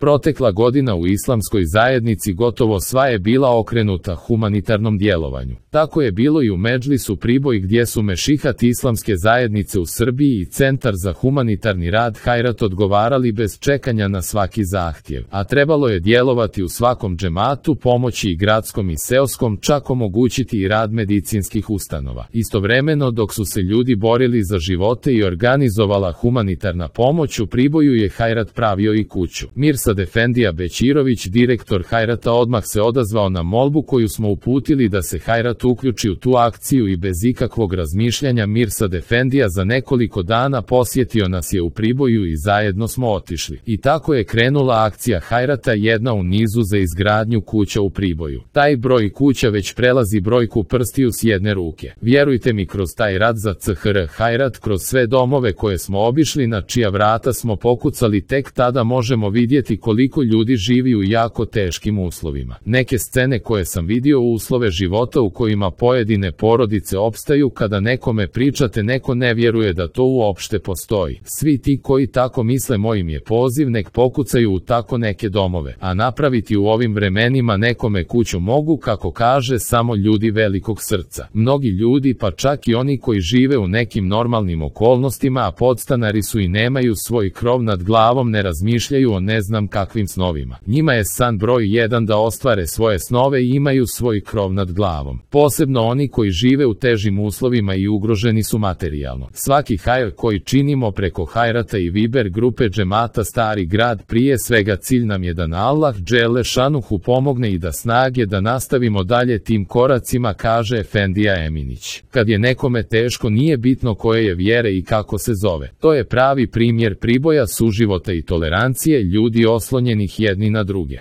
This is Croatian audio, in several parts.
Protekla godina u islamskoj zajednici gotovo sva je bila okrenuta humanitarnom djelovanju. Tako je bilo i u Medžlisu Priboj gdje su Mešihat islamske zajednice u Srbiji i Centar za humanitarni rad Hajrat odgovarali bez čekanja na svaki zahtjev, a trebalo je djelovati u svakom džematu, pomoći i gradskom i seoskom, čak omogućiti i rad medicinskih ustanova. Istovremeno dok su se ljudi borili za živote i organizovala humanitarna pomoć u Priboju je Hajrat pravio i kuću. Mirsad Efendija Bećirović, direktor Hajrata, odmah se odazvao na molbu koju smo uputili da se Hajrat uključi u tu akciju i bez ikakvog razmišljanja Mirsad Efendija za nekoliko dana posjetio nas je u Priboju i zajedno smo otišli. I tako je krenula akcija Hajrata, jedna u nizu za izgradnju kuća u Priboju. Taj broj kuća već prelazi brojku prstiju s jedne ruke. Vjerujte mi, kroz taj rad za CHR Hajrat, kroz sve domove koje smo obišli, na čija vrata smo pokucali, tek tada možemo vidjeti koliko ljudi živi u jako teškim uslovima. Neke scene koje sam vidio, uslove života u kojima pojedine porodice opstaju, kada nekome pričate neko ne vjeruje da to uopšte postoji. Svi ti koji tako misle, mojim je poziv, nek pokucaju u tako neke domove, a napraviti u ovim vremenima nekome kuću mogu, kako kaže, samo ljudi velikog srca. Mnogi ljudi, pa čak i oni koji žive u nekim normalnim okolnostima, a podstanari su i nemaju svoj krov nad glavom, ne razmišljaju o ne znam kakvim snovima. Njima je san broj 1 da ostvare svoje snove i imaju svoj krov nad glavom. Posebno oni koji žive u težim uslovima i ugroženi su materijalno. Svaki hajr koji činimo preko Hajrata i Viber grupe džemata Stari grad, prije svega cilj nam je da Allah dželle šanuhu pomogne i da snage da nastavimo dalje tim koracima, kaže Efendija Eminić. Kad je nekome teško, nije bitno koje je vjere i kako se zove. To je pravi primjer Priboja, suživota i tolerancije, ljudi oslonjenih jedni na druge.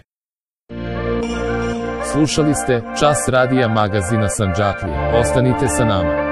Slušali ste Čas radija magazina Sandžaklija. Ostanite sa nama.